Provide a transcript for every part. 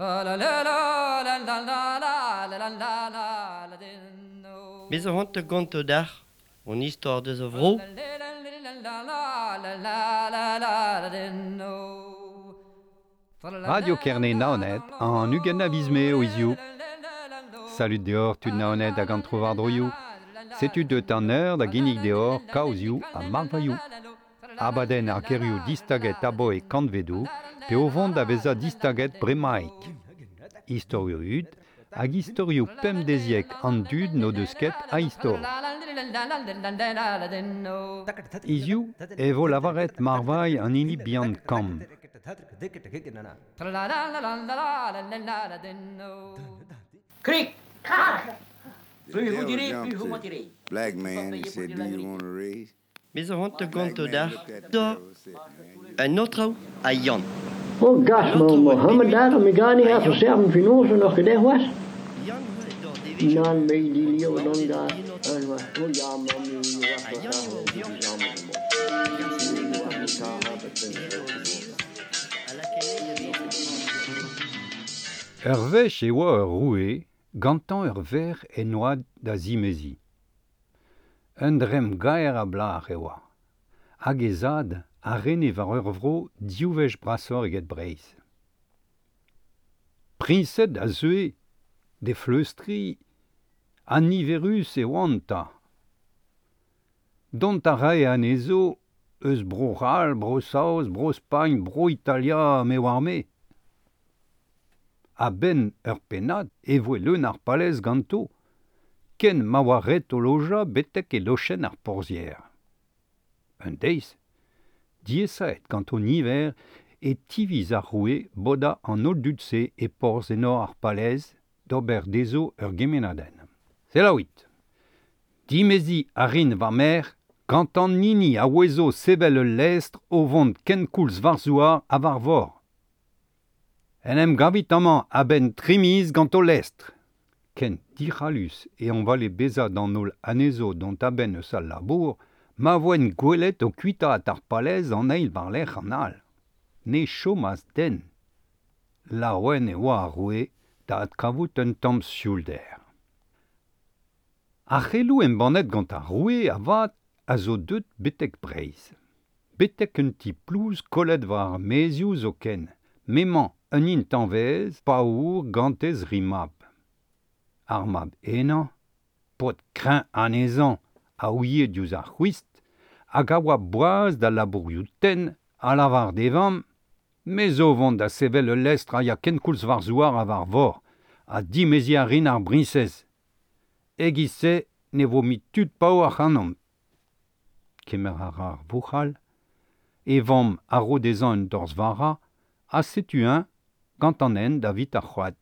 Me zo c'hoant da gontañ deoc'h hon istor deus a vro. Radio Kerne Naoned an 20 a viz Mae o hiziv. Salud deoc'h tud Naoned hag an trowardroioù. Setu deut an eur da ginnig deoc'h kaozioù ha marvailhoù. Abadenn ar gerioù distaget aboe kantvedoù pe o vont da vezañ distaget bremaik. Istorioù hud hag istorioù pemdeziek an dud n'o deus ket a istor. Hiziv e vo lavaret marvailh an hini bihan kamm. Krik, krak! The devil jumped to black man and said, Do you want a raise? Me zo c'hoant da Black gontañ man deoc'h looked at the da devil and said, Man, you un aotrou ha Yann. Oh gas, Un ma aotrou a Mohammed bep daar, mi ha gar niet Yann. verserven finoze nog gedacht was. Yann e dor devezhioù Nan me die an leeuw dan maodez daar. en aotrou. En was, oh ja, man, nu was Ha dat Yann daar, e oa o die vevañ. samen Hag ar Nu seneget was an het daar, eure heb ik e hed o zez a lakae da vezañ. Ur wech e oa ur roue, gantañ ur verc'h en oad da zimeziñ. Un dremm gaer a blac'h e oa. Hag he zad a rene war ur vro div wech brasoc'h eget Breizh. Priñsed a zeue d'he fleustriñ ha niverus e oant 'ta. Dont a rae anezho eus Bro-C'hall, Bro-Saoz, Bro-Spagn, Bro-Italia, me oar-me. A-benn ur pennad e voe leun ar palez ganto, ken ma oa ret o lojañ betek e lochenn ar porzhier. Un deiz, diaesaet gant o niver e tiviz ar roue bodañ an holl dud-se e porzh enor ar palez d'ober dezho ur gemennadenn. Selaouit ! Dimeziñ a rin va merc'h gant an hini a ouezo sevel ul lestr o vont kenkoulz war zouar ha war vor. En em gavit amañ a-benn tri miz gant ho lestr. Ken dic'hallus e hañvale bezañ d'an holl anezho dont a-benn eus al labour ma voent gwelet o kuitaat ar palez an eil war-lerc'h an all. Ne chomas den. Laouen e oa ar roue da adkavout un tamm sioulder. Ar c'heloù embannet gant ar roue avat a zo deuet betek Breizh. Betek un ti plouz kollet war ar maezioù zoken, m'emañ un intañvez paour gant he zri mab. Ar mab henañ, paotr kreñv anezhañ a ouie diouzh ar c'hwist hag a oa boas d'al labourioù tenn, a lavar d'e vamm Me zo vont da sevel ul lestr a ya kenkoulz war zouar ha war vor, ha dimeziñ a rin ar briñsez. E-giz-se ne vo mui tud paour ac'hanomp. Kemer a ra ar vouc'hal, e vamm a ro dezhañ un dorzh vara, ha setu-eñ gant an hent davit ar c'hoad.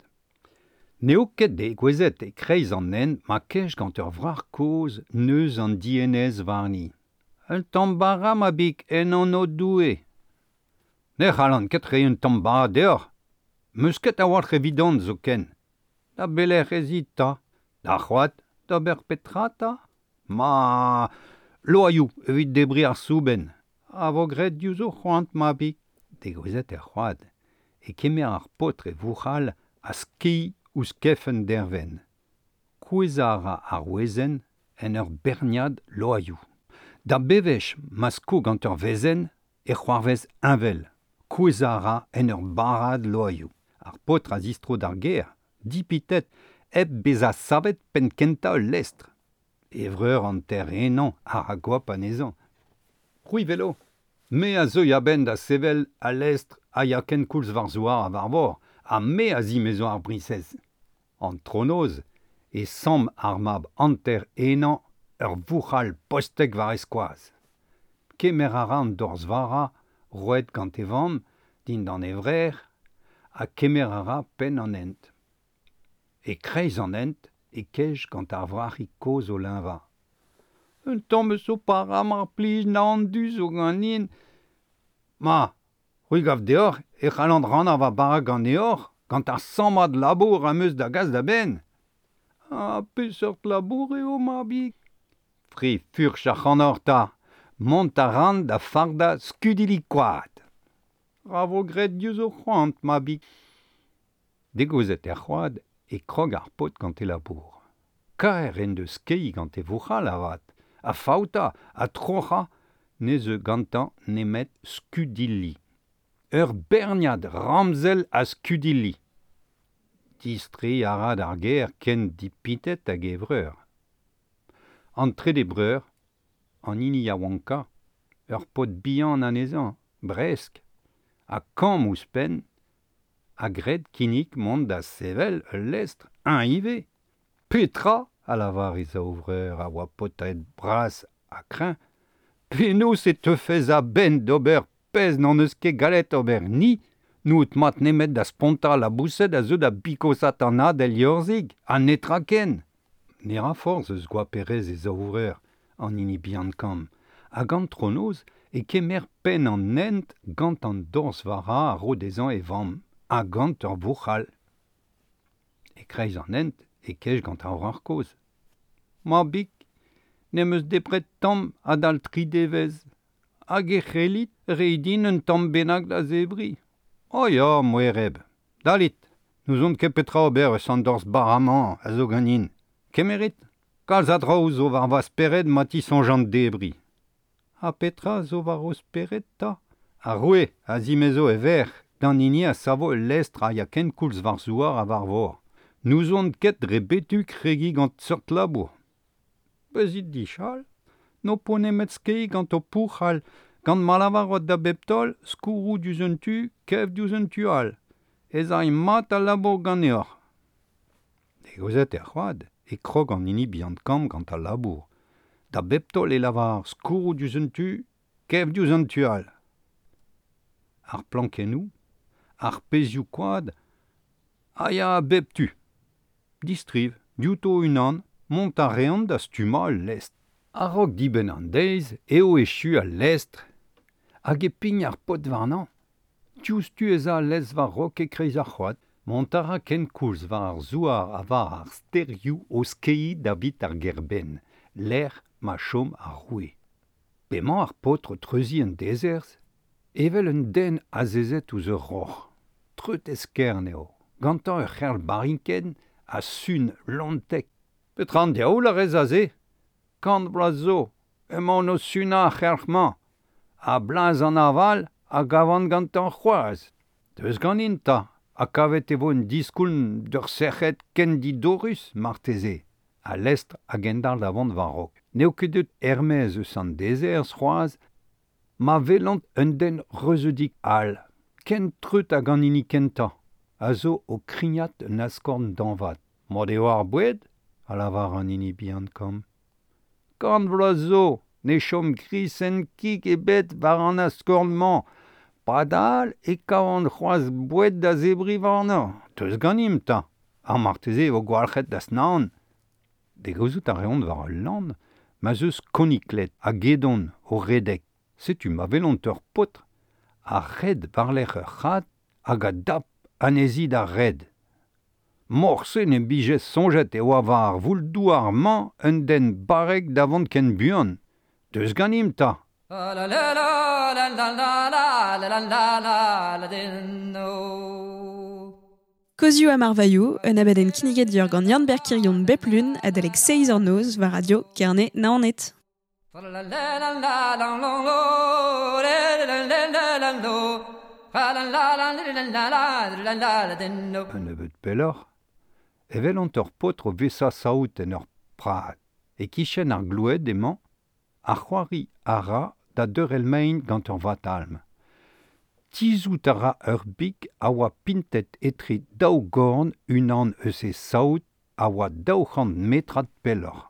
N'eo ket degouezhet e-kreiz an hent ma kej gant ur wrac'h kozh neuz an dienez warni. Un tamm bara, mabig, en anv Doue ! Ne c'hallan ket reiñ un tamm bara deoc'h. 'Meus ket a-walc'h evidon zoken. Da belec'h ez it 'ta ? D'ar c'hoad, d'ober petra 'ta ? Ma loaioù evit debriñ ar soubenn. A vo graet diouzh ho c'hoant, mabig. Degouezhet er c'hoad, e kemer ar paotr e vouc'hal ha skeiñ ouzh kef un dervenn. Kouezhañ a ra ar wezenn en ur berniad loaioù. Da bewech ma sko gant ur wezenn e c'hoarvez heñvel. Kouezhañ a ra en ur barrad loaioù. Ar paotr a zistro d'ar gêr, dipitet, hep bezañ savet penn-kentañ ul lestr. E vreur hanter-henañ a ra goap anezhañ. C'hwi 'welo ! Me a zeuy a-benn da sevel al lestr a ya kenkoulz war zouar ha war vor, ha me a zimezo ar briñsez. Antronoz e samm ar mab hanter-henañ ur vouc'hal postek war e skoaz. Kemer a ra an dorzh vara roet gant e vamm dindan e vrec'h ha kemer a ra penn an hent. E-kreiz an hent e kej gant ar wrac'hig kozh o leñvañ. Un tamm eus ho para mar plij naon du zo ganin. Ma, c'hwi 'gav deoc'h e c'hallan rannañ va bara ganeoc'h gant ar sammad labour am eus da gas da benn. Ha peseurt labour eo, mabig ? Fri furch ac'hanoc'h 'ta, mont a ran da fardañ skudilli koad. Ra vo graet diouzh ho c'hoant, mabig. Degouezhet er c'hoad e krog ar paotr gant e labour. Kaer en deus skeiñ gant e vouc'hal avat, ha faoutañ ha troc'hañ ne zeu gantañ nemet skudilli. Ur berniad ramzel a skudilli. Distreiñ a ra d'ar gêr ken dipitet hag e vreur. An trede breur, an hini yaouankañ, ur paotr bihan anezhañ, bresk, ha kamm ouzhpenn, a gred kinnig mont da sevel ul lestr, eñ ivez. Petra, a lavar e zaou vreur a oa paotred bras ha kreñv, penaos e teufes a-benn d'ober pezh n'hon eus ket gallet ober ni, n'out mat nemet da spontañ laboused a zeu da bikosat an had el liorzhig, ha netra ken. Ne ra forzh eus goaperezh e zaou vreur, an hini bihan kamm, hag antronoz e kemer penn an hent gant an dorzh vara a ro dezhañ e vamm, ha gant ur vouc'hal. E-kreiz an hent e kej gant ar wrac'h kozh. Mabig, n'em eus debret tamm adal tri devezh, hag e c'hellit reiñ din un tamm bennak da zebriñ. O ya, moereb, dalit, n'ouzon ket petra ober eus an dorzh bara-mañ a zo ganin. Kemerit, kalz a draoù zo war va spered ma tisoñjan debriñ. Ha petra zo war ho spered 'ta? Ar roue a zimezo e verc'h d'an hini a savo ul lestr a ya kenkoulz war zouar ha war vor. N'ouzon ket dre betu kregiñ gant seurt labour. Bezit dichal, n'ho po nemet skeiñ gant ho pouc'hal, gant ma lavarot da bep taol skourroù diouzh un tu, kev diouzh un tu all. Ez ay mat al labour ganeoc'h. Degouezhet er c'hoad e krog an hini bihan-kamm gant al labour. Da bep taol e lavar skourroù diouzh un tu, kev diouzh an tu all. Ar plankennoù, ar pezhioù koad a ya a bep tu. Distriv, diouto unan, mont a reont da stummañ ul lestr. A-raok dibenn an deiz eo echu al lestr hag e pign ar paotr warnañ. Diouzhtu ez a al lestr war-raok e-kreiz ar c'hoad. Mont a ra kenkoulz war ar zouar ha war ar stêrioù o skeiñ davit ar gêr-benn, lec'h ma chom ar roue. P'emañ ar paotr o treuziñ an dezerzh, evel un den azezet ouzh ur roc'h. Treut-eskern eo, gantañ ur c'herl barinkenn ha sun lontek. Petra an diaoul a rez aze? Kant vloaz zo, emaon o sunañ ar c'helc'h-mañ, ha blaz an aval a gavan gantañ c'hoazh. Deus ganin 'ta, ha kavet e vo un diskoulm d'ur sec'hed ken didorrus marteze. Al lestr a gendalc'h da vont war-raok. N'eo ket deut er-maez eus an dezerzh c'hoazh ma welont un den reuzeudik all, ken treut hag an hini kentañ, a zo o krignat un askorn dañvad. Mat eo ar boued? a lavar an hini bihan kamm. Kant vloaz zo ne chom krisenn kig ebet war an askorn-mañ. Padal e kavan c'hoazh boued da zebriñ warnañ. Deus ganimp 'ta, ha marteze e vo gwalc'het da naon. Degouezhout a reont war ul lann ma'z eus konikled ha gedon o redek. Setu ma welont ur paotr a red war-lerc'h ur c'had hag a dap anezhi d'ar red. Morse n'em bije soñjet e oa war ar voul-douar-mañ un den barrek da vont ken buan. Deus ganimp 'ta. Kozioù ha marvailhoù, un abadenn kinniget deoc'h gant Yann-Ber Kirion bep lun adalek seizh eur noz war Radio Kerne Naoned. Un nebeud pelloc'h e welont ur paotr o vesañ saout en ur prad. E-kichen ar gloued emañ, ha c'hoari a ra da deurel mein gant ur vatalm. Tizhout a ra ur big a oa pintet etre daou gorn unan eus e saout a oa 200 metrad pelloc'h.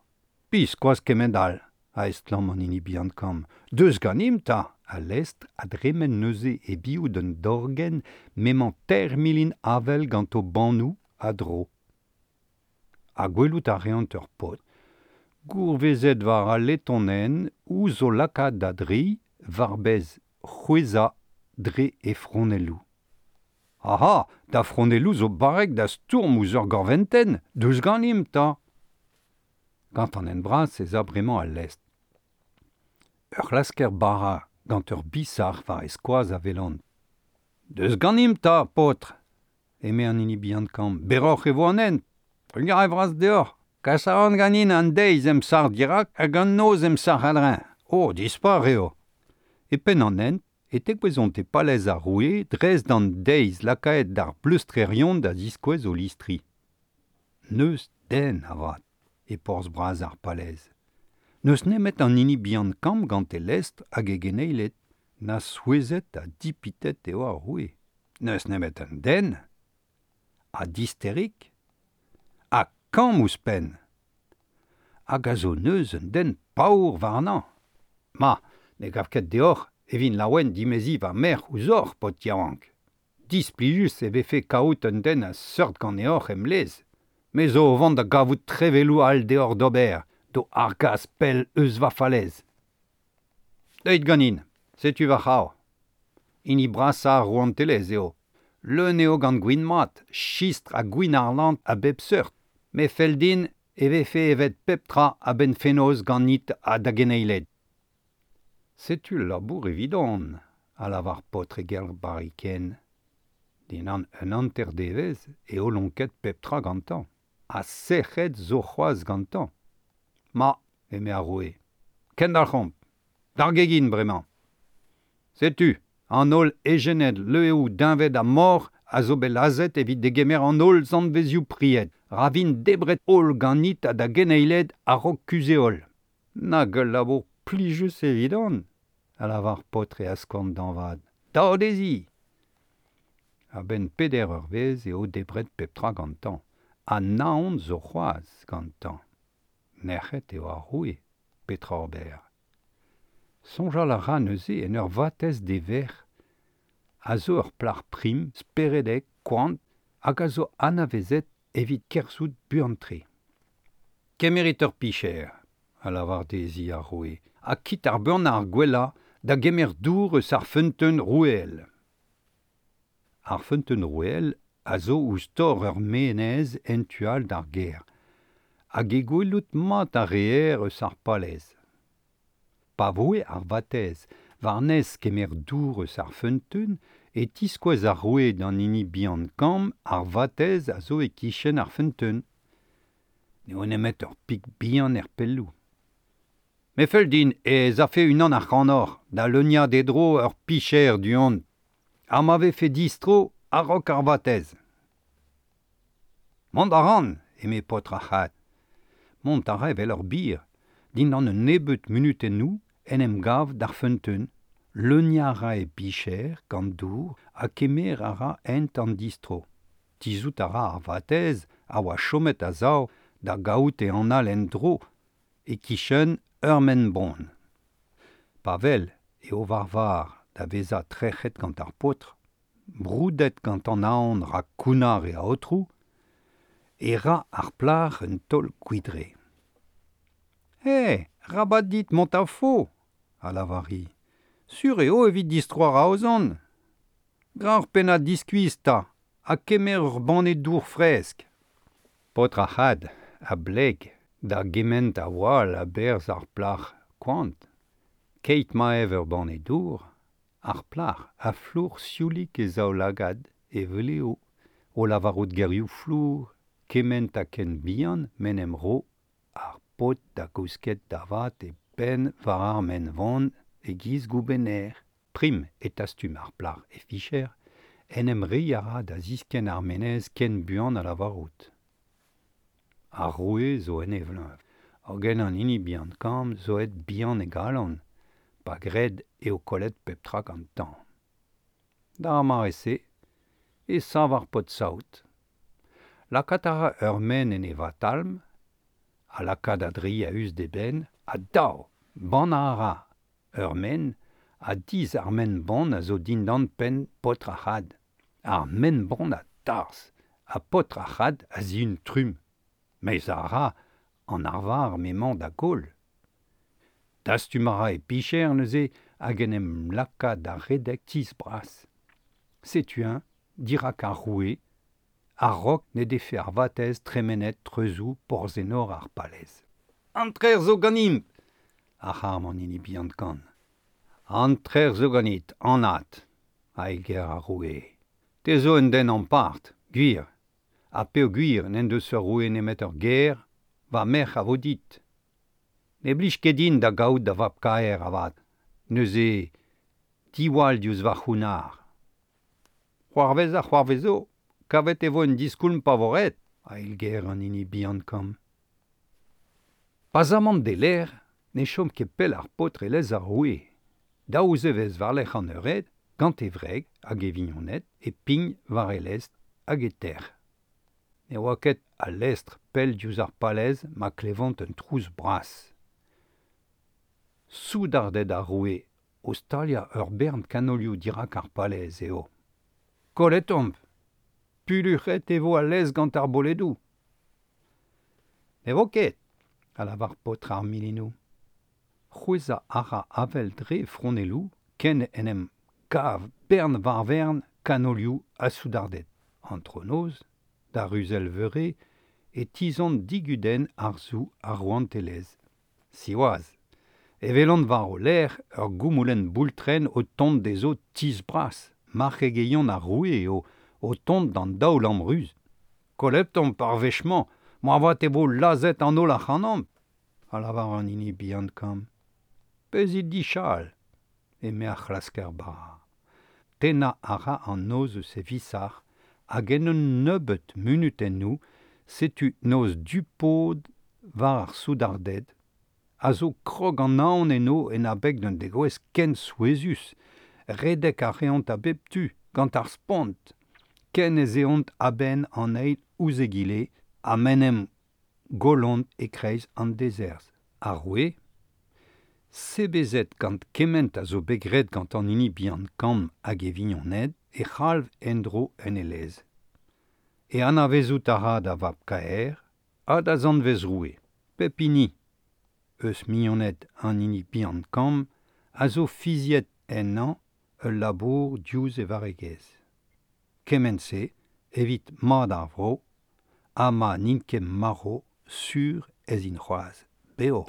Biskoazh kement all, a estlamm an hini bihan kamm. Deus ganimp 'ta! Al lestr a dremen neuze e-biou d'un dorgenn m'emañ teir milin avel gant o bannoù a-dro. Ha gwelout a reont ur paotr gourvezet war al letonenn ouzh o lakaat da dreiñ war-bez c'hwezhañ dre e fronelloù. Aha, da fronelloù zo barrek da stourm ouzh ur gorventenn, deus ganimp 'ta! Gant an hent bras ez a bremañ al lestr. Ur c'hlasker bara gant ur bisac'h war e skoaz a welan. Deus ganimp 'ta, paotr! eme an hini bihan kamm, berroc'h e vo an hent. Trugarez vras deoc'h. Kas a ran ganin an deiz em sac'h dirak hag an noz em sac'h a-dreñv. O, dispar eo. E penn an hent, e tegouezhont e palez ar roue dres d'an deiz lakaet d'ar pleustrerion da ziskouez o listri. N'eus den avat e porzh bras ar palez. N'eus nemet an hini bihan kamm gant e lestr hag e geneiled, na souezhet ha dipitet eo ar roue. N'eus nemet un den, ha disterik, ha kamm ouzhpenn. Hag a zo neuz un den paour warnañ. Ma, ne gav ket deoc'h e vin laouen dimeziñ va merc'h ouzhoc'h, paotr yaouank. Displijus e vefe kaout un den a seurt ganeoc'h em lez. Me zo o vont da gavout trevelloù all deoc'h d'ober, d'ho argas pell eus va falez. Deuit ganin, setu va c'hav. Hini brasañ ar rouantelezh eo. Leun eo gant gwin mat, chistr ha gwin arlant a bep seurt. Me fell din e vefe evet pep tra a-benn fenoz ganit ha da geneiled. Setu labour evidon, a lavar paotr e gelc'h barikenn. Dindan un hanter-devezh eo lonket pep tra gantañ. Ha sec'hed zo c'hoazh gantañ. Ma, eme ar roue, kendalc'homp, d'ar gegin bremañ. Setu, an holl ejened leueoù deñved ha moc'h a zo bet lazhet evit degemer an holl zanvezioù pried. Ra vint debret holl ganit ha da geneiled a-raok kuzh-heol. Nag ul labour plijus evidon, a lavar paotr e askorn dañvad. Dao dezhi! A-benn peder eurvezh eo debret pep tra gantañ, ha naon zo c'hoazh gantañ. Nec'het eo ar roue, petra ober? Soñjal a ra neuze en ur vatezh d'e verc'h, a zo ur plac'h prim, speredek, koant, hag a zo anavezet evit kerzhout buan-tre. Kemerit ur picher, a lavar dezhi ar roue, ha kit ar buanañ ar gwellañ da gemer dour eus ar feunteun roueel. Ar feunteun roueel a zo ouzh tor ur menez en tu all d'ar gêr, hag he gwelout mat a reer eus ar palez. Pa voe ar vatezh war-nes kemer dour eus ar feunteun e tiskouez ar roue d'an hini bihan kamm ar vatezh a zo e-kichen ar feunteun. N'eo nemet ur pik bihan er pelloù. Me fell din ez afe unan ac'hanoc'h da leuniañ d'e dro ur picher du-hont, ha ma vefe distro a-raok ar vatezh. Mont a ran, eme paotr ar c'had. Mont a ra evel ur bir. Dindan un nebeud munutennoù en em gav d'ar feunteun, leuniañ a ra e bicher gant dour ha kemer a ra hent an distro. Tizhout a ra ar vatezh a oa chomet a-sav da gaout e anal en-dro e-kichen ur maen-bonn. Pa wel eo war var da vezañ trec'het gant ar paotr, broudet gant an aon rak kounnar e aotrou, e ra ar plac'h un taol gwidre. Eh, rabat dit mont a-fo, a lavar-hi. Sur eo evit distroañ raozon. Gra ur pennad diskuizh 'ta, ha kemer ur banne dour fresk. Paotr ar c'had a bleg da gement a wall a-berzh ar plac'h koant. Keit ma ev ur banne dour, ar plac'h a flour sioulik e zaoulagad, e vlev, o lavarout gerioù flour, kement ha ken bihan m'en em ro ar paotr da gousket da vat e penn war ar maen-von e-giz goubenner. Prim e tastum ar plac'h e ficher, en em reiñ a ra da ziskenn ar menez ken buan ha lavarout. Ar roue zo en e vleuñv, hogen an hini bihan kamm zo aet bihan e galon, pa gred eo kollet pep tra gantañ. D'ar mare-se e sav ar paotr-saout. Lakaat a ra ur maen en e vatalm, ha lakaat a-dri a-us d'e benn, ha dav, bannañ a ra ur maen a dizh ar maen-bonn a zo dindan penn paotr ar c'had. Ar maen-bonn a darzh ha paotr ar c'had a zihun trumm. Meizañ a ra an arvar m'emañ da goll. Dastum a ra e picher neuze hag en em laka da redek tizh bras. Setu-eñ dirak ar roue, a-raok n'he defe ar vatezh tremenet treuzoù porzh-enor ar palez. An trec'h zo ganimp! a c'harm an hini bihan kann. An trec'h zo ganit, anat, a eilger ar roue. Te zo un den ampart, Gwir, ha peo gwir n'en deus ur roue nemet ur ger, va merc'h a vo dit. Ne blij ket din da gaout da vab kaer avat, neuze diwall diouzh va c'hounnar. C'hoarvez a c'hoarvezo, kavet e vo un diskoulm pa vo ret, a eilger an hini bihan kamm. Pazamant de l'air, ne chom ket pell ar paotr e lez ar roue. Daou zevez war-lerc'h an eured, gant e wreg hag e vignoned e pign war e lestr hag e tec'h. Ne oa ket al lestr pell diouzh ar palez ma klevont un trouz bras. Soudarded ar roue o staliañ ur bern kanolioù dirak ar palez eo. Kollet omp ! Pulluc'het e vo al lez gant ar boledoù. Ne vo ket, a lavar paotr ar milinoù. C'hwezhañ a ra avel dre fronelloù ken en em gav bern war-vern kanolioù ha soudarded. Antronoz, da ruzell veure, e tizhont digudenn harzoù ar rouantelezh. Siwazh, e welont war o lerc'h ur goumoulenn boultrenn o tont dezho tizh bras, marc'hegeion ar roue eo o tont d'an daoulamm ruz. Kollet omp ar wech-mañ, moarvat e vo lazhet an holl ac'hanomp, a lavar an hini bihan kamm. Bezit dichal, eme ar c'hlasker bara. Tennañ a ra an noz eus e visac'h hag en un nebeud munutennoù setu noz du-pod war ar soudarded, a zo krog an aon eno en abeg d'un degouezh ken souezhus. Redek a reont a bep tu, gant ar spont, ken ez eont a-benn an eil ouzh egile ha m'en em gollont e-kreiz an dezerzh. Ar roue, sebezet gant kement a zo bet graet gant an hini bihan kamm hag e vignoned, e c'halv en-dro en e lez. E anavezout a ra da vab-kaer ha da zanvez roue. Pep hini eus mignoned an hini bihan kamm a zo fiziet ennañ ul labour diouzh e varregezh. Kement-se evit mat ar vro ha ma n'int ket marv sur ez int c'hoazh bev.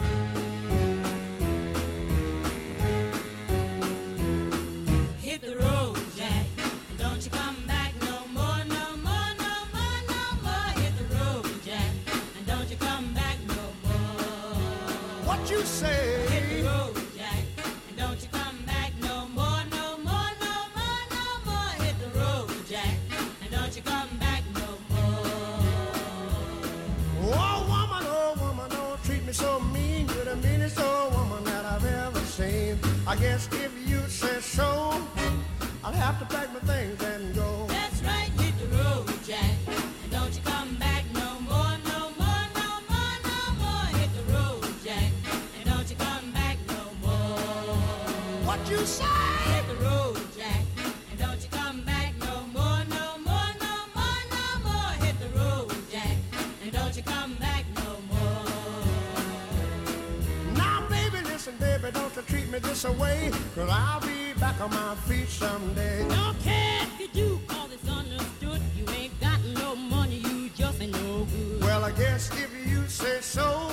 Hit the road, Jack, and don't you come back no more, no more, no more, no more. Hit the road, Jack, and don't you come back no more. What you say? Hit the road, Jack, and don't you come back no more, no more, no more, no more. Hit the road, Jack, and don't you come back no more. Oh woman, don't treat me so mean. You're the meanest old woman that I've ever seen. I guess if you say so, I'll have to pack my things and go. That's right, hit the road, Jack, and don't you come back no more, no more, no more, no more. Hit the road, Jack, and don't you come back no more. What you say? Hit the road, Jack, and don't you come back no more, no more, no more, no more. Hit the road, Jack, and don't you come back no more. Now, baby, listen, baby, don't you treat me this away, 'cause I'll be back on my feet someday. Don't care if you do, 'cause it's understood. You ain't got no money, you just ain't no good. Well, I guess if you say so,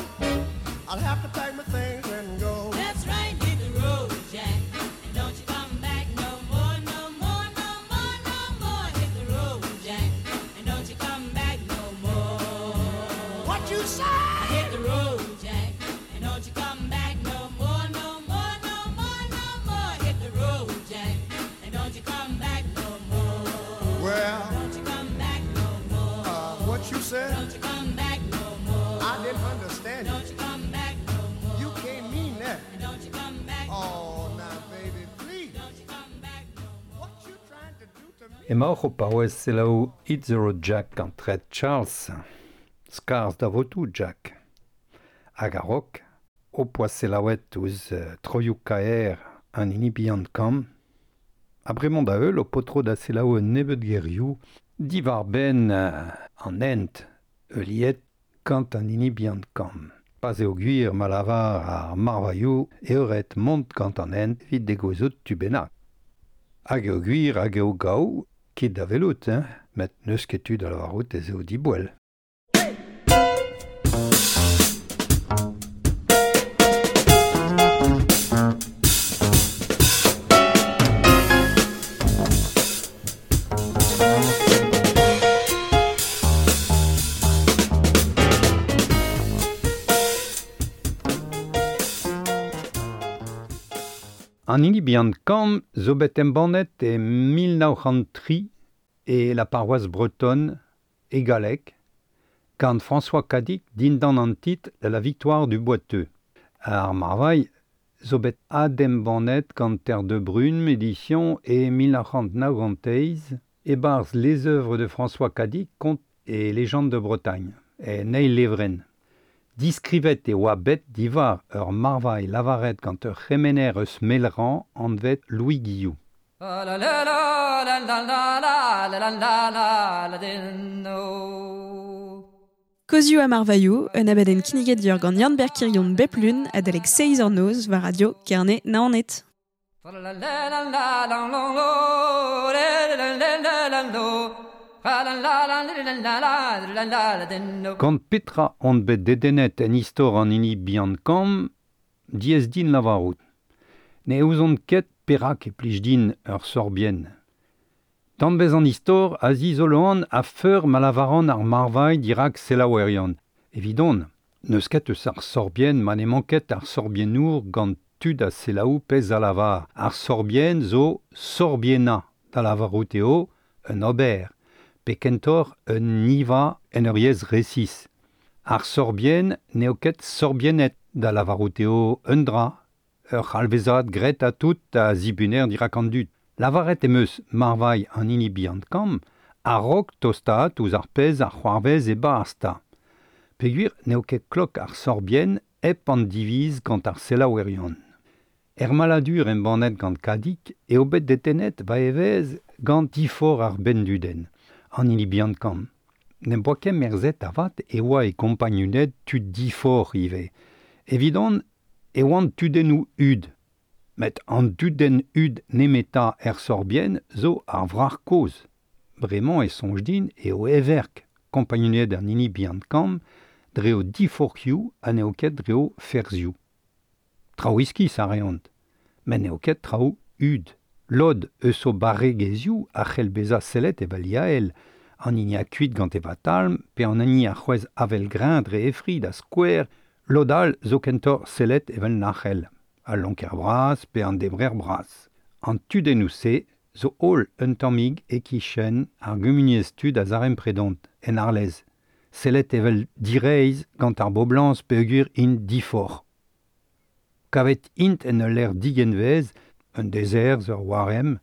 I'll have to pack my things and go. That's right, hit the road, Jack, and don't you come back no more, no more, no more, no more. Hit the road, Jack, and don't you come back no more. What you say? Hit the road, Jack, and don't you come back no more, no more, no more, no more. Hit the road, Jack, and don't you come back no more. Well, Don't you come back no more. what you said? Don't you come back no more. I didn't understand you. Don't you come back no more. You can't mean that. And don't you come back. Oh, now, baby, please. Don't you come back no more. What you trying to do to me? Emaoc'h o paouez selaou Hit the Road Jack gant Red Charles. Skarzh da votoù, Jack. Hag a-raok, o poa selaouet ouzh troioù kaer an hini bihan kamm. Ha bremañ da heul o potro da selaou un nebeud gerioù diwar-benn an hent heuliet gant an hini bihan kamm. Pa'z eo gwir ma lavar ar marvailhoù eo ret mont gant an hent evit degouezhout tu bennak. Hag eo gwir hag eo gaou, ket da welout, hein, met n'eus ket tu da lavarout ez eo diboell. An hini bihan kamm zo bet embannet e 1903 e la paroisse bretonne e galleg, gant François Cadic dindan an titre de la victoire du Boiteux. Ar marvailh zo bet adembannet gant Terre de Brune édition e 1998 e-barzh les œuvres de François Cadic, contes et légendes de Bretagne, e neil levren. Diskrivet e oa bet diwar ur marvailh lavaret gant ur c'hemener eus Melran anvet Louis Guillou. Kozioù ha marvailhoù, un abadenn kinniget deoc'h gant Yann-Ber Kirion bep lun adalek seizh eur noz war Radio Kerne Naoned. Gant petra on bet dedennet en istor an hini bihan kamm, diaes din lavarout. Ne ouzon ket perak e plij din ur sorbienn. Danvez an istor a zizoloan a feur ma lavaran ar marvailh dirak selaouerion. Evidon, n'eus ket eus ar sorbienn ma n'emañ ket ar sorbiennour gant tud a selaou pezh a lavar. Ar sorbienn zo sorbienna, da lavarout eo un ober, pe kentoc'h un niva en ur yezh resis. Ar sorbienn n'eo ket sorbiennet, da lavarout eo un dra, ur c'halvezad graet ha tout a zibuner dirak an dud. Lavaret em eus marvailh an hini bihan kamm, a-raok tostaat ouzh ar pezh ar c'hoarvez e-barzh 'ta. Peogwir n'eo ket klok ar sorbienn hep an diviz gant ar selaouerion. Er maladur embannet gant Kadik eo bet dedennet va evezh gant difor ar benndudenn, an hini bihan kamm. N'em boa ket merzet avat e oa e kompagnuned tud difor ivez. Evidon e oant tudennoù hud. Met an dudenn hud nemetañ er sorbienn zo ar wrac'h kozh. Bremañ e soñj din eo heverk kompagnuned an hini bihan kamm dre o diforc'hioù ha n'eo ket dre o ferzhioù. Traoù iskis a reont, met n'eo ket traoù hud. Lod eus o barregezhioù a c'hell bezañ sellet evel yael, an hini akuit gant e vatalm pe an hini a c'hwezh avel-greñv dre e fri da skouer, lod all zo kentoc'h sellet evel nac'hell. Al lonker bras pe an debrer bras. An tudennoù-se zo holl un tammig e-kichen ar gumuniezh tud a zarempredont, en Arlez. Sellet evel direizh gant ar boblañs peogwir int diforc'h. Kavet int en ul lec'h digenvez, un dezerzh, ur waremm.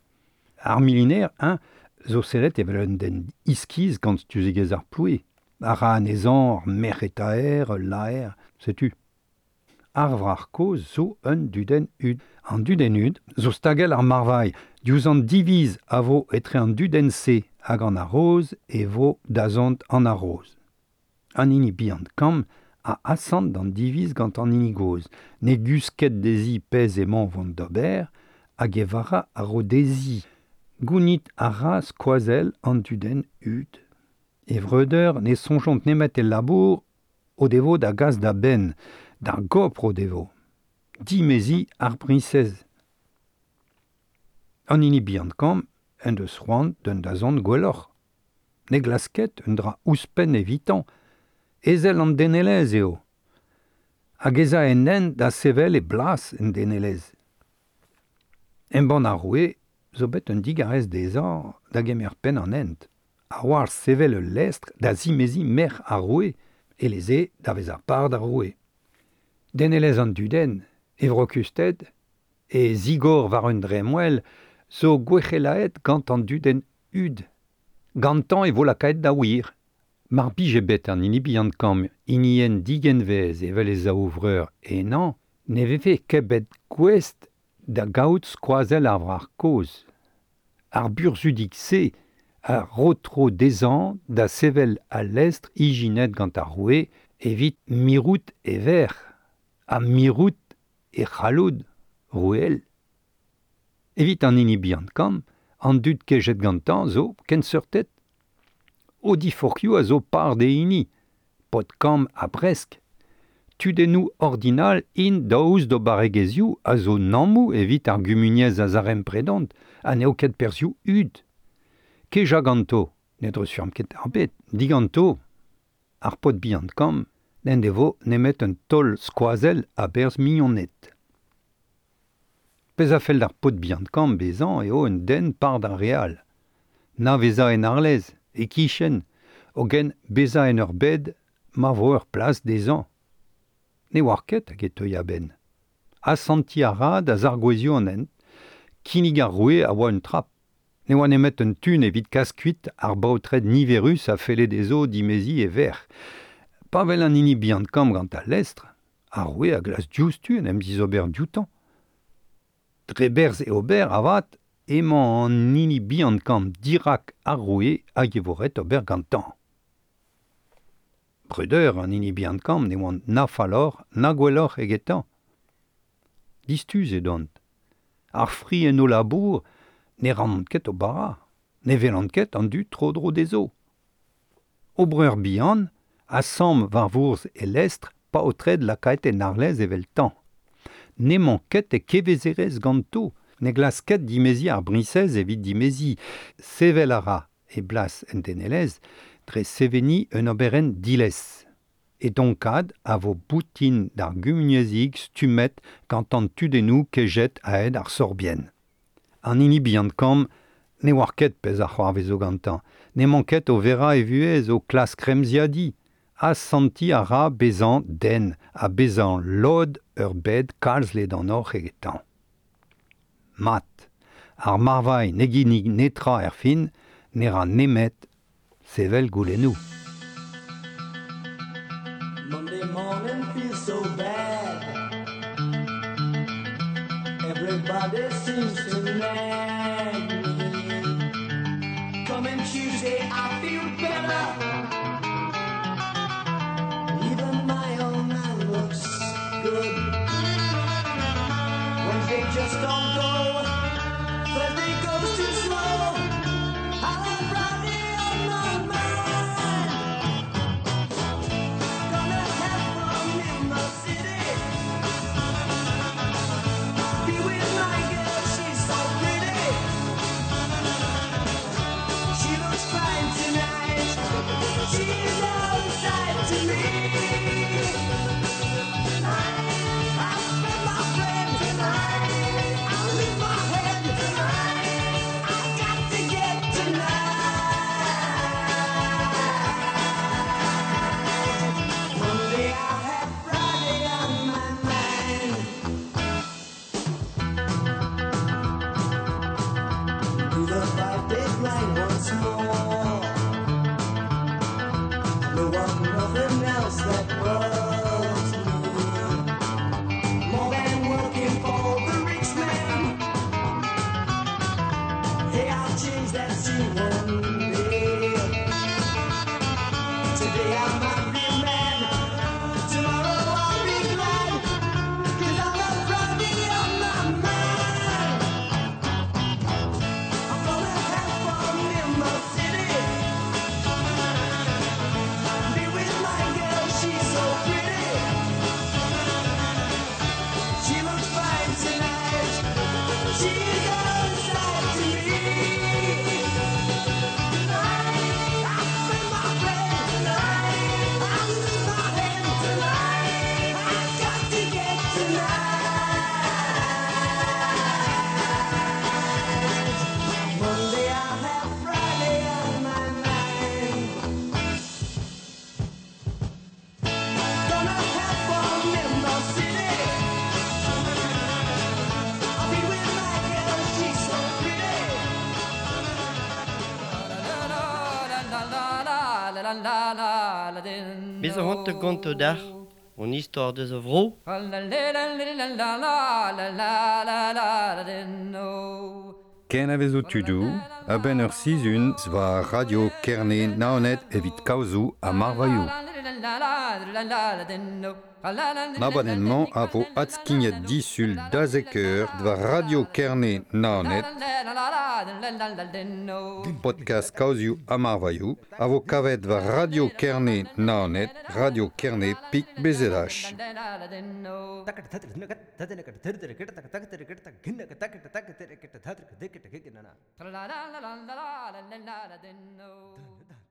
Ar miliner, eñ, zo sellet evel un den iskis gant stuzegezh ar ploue. A ra anezhañ ur merc'hetaer, ul laer, setu. Ar wrac'h kozh zo un dudenn hud. An dudenn hud zo stagell ar marvailh. Diouzh an diviz a vo etre an dudenn-se hag an haroz e vo dazont an haroz. An hini bihan kamm a asant d'an diviz gant an hini gozh. Ne guzh ket dezhi pezh emañ vont d'ober hag e vara a ro dezhi. Gounit a ra skoazell an dudenn hud. E vreudeur ne soñjont nemet el labour o devo da gas da benn, d'ar gopr o devo. Dimeziñ ar briñsez. An hini bihan kamm en deus c'hoant d'un dazont gwelloc'h. Ne glask ket un dra ouzhpenn evitañ, ezel an denelezh eo. Hag ez a en hent da sevel e blas en denelezh. Embann ar roue zo bet un digarez dezhañ da gemer penn an hent. A-walc'h sevel ul lestr da zimeziñ merc'h ar roue, eleze da vezañ par d'ar roue. Denelezh an dudenn, e vrokusted, e zigor war un dremmwel, zo gwec'helaet gant an dudenn hud. Gantañ e vo lakaet da wir. Mar bije bet an hini bihan kamm hinienn digenvez evel e zaou vreur henañ, ne vefe ket bet gouest da gaout skoazell ar wrac'h kozh. Ar burzhudig-se a ro tro dezhañ da sevel al lestr ijinet gant ar roue evit mirout e verc'h ha mirout e c'halloud roueel. Evit an hini bihan kamm, an dud kejet gantañ zo kenseurtet. O diforc'hioù a zo par d'e hini, paotr kamm ha bresk. Tudennoù ordinal int daoust d'o barregezhioù a zo nammoù evit ar gumuniezh a zarempredont ha n'eo ket perzhioù hud. Kejañ ganto, ne dreuzfurm ket ar bed, diganto. Ar paotr bihan kamm n'en devo nemet un taol skoazell a-berzh mignoned. Pezh a fell d'ar paotr bihan-kamm bezañ eo un den par d'ar re all. Na vezañ en arlez, e-kichen, hogen bezañ en ur bed ma vo ur plas dezhañ. Ne oar ket hag e teuy a-benn. Asantiñ a ra da zargouezhioù an hent. Kinnig ar roue a oa un trap. Ne oa nemet un tun evit kas kuit ar baotred niverus a felle dezho dimeziñ e verc'h. Pa wel an hini bihan-kamm gant al lestr, ar roue a glask diouzhtu en em dizober dioutañ. Dre berzh e ober avat emañ an hini bihan-kamm dirak ar roue hag e vo ret ober gantañ. Breudeur an hini bihan-kamm ne oant na falloc'h na gwelloc'h egetañ. Distuz edont. Ar fri en o labour ne rannont ket o bara, ne welont ket an dud tro-dro dezho. O breur bihan a samm war vourzh e lestr paotred lakaet en arlez eveltañ. N'emañ ket e kevezerezh ganto, ne glask ket dimeziñ ar briñsez evit dimeziñ. Sevel a ra e blas en denelezh dre seveniñ un oberenn diles. E donkad a vo boutin d'ar gumuniezhig stummet gant an tudennoù kejet a-hed ar sorbienn. An hini bihan-kamm ne oar ket pezh a c'hoarvezo gantañ, n'emañ ket o verañ e vuhez o klask remziadiñ, asantiñ a ra bezañ den ha bezañ lod ur bed kalz ledanoc'h egetañ. Mat, ar marvailh ne ginnig netra erfin, ne ra nemet sevel goulennoù. Monday morning feels so bad. Everybody seems to nag me. Coming Tuesday, I feel better. Even my old man looks good. Wednesday just don't go. Thursday goes too slow. I have Friday on my mind. Gonna have fun in the city. Be with my girl, she's so pretty. She looks fine tonight. She's outside to me. I spend my friend tonight. I lift my head tonight. I got to get tonight. Monday I have Friday on my mind. Do the 5-day grind once more. No want nothing else that bugs me more than working for the rich man. Hey, I'll change that scene one day. Today I might be mad, tomorrow I'll be glad, 'cause I got Friday on my mind. I'm gonna have fun in the city. Be with my girl, she's so pretty. She looks fine tonight. She's outside to me. I spend my friend tonight. I lose my head tonight. I got to get tonight. Monday I have Friday on my mind. Gonna have fun in the city. I'll be with my girl, she's so pretty. Bez a c'hoant gonto dac'h, hon istor deus a vro. Ken a vezo tudoù, a-benn ur sizhun war Radio Kerne Naoned evit kaozoù ha marvailhoù. Abadenn-mañ a vo adskignet disul da zek eur war Radio Kerne Naoned, podcast kaozioù ha marvailhoù, a vo kavet war Radio Kerne Naoned, Radio Kerne Pik BZH. La la la la la la la la la.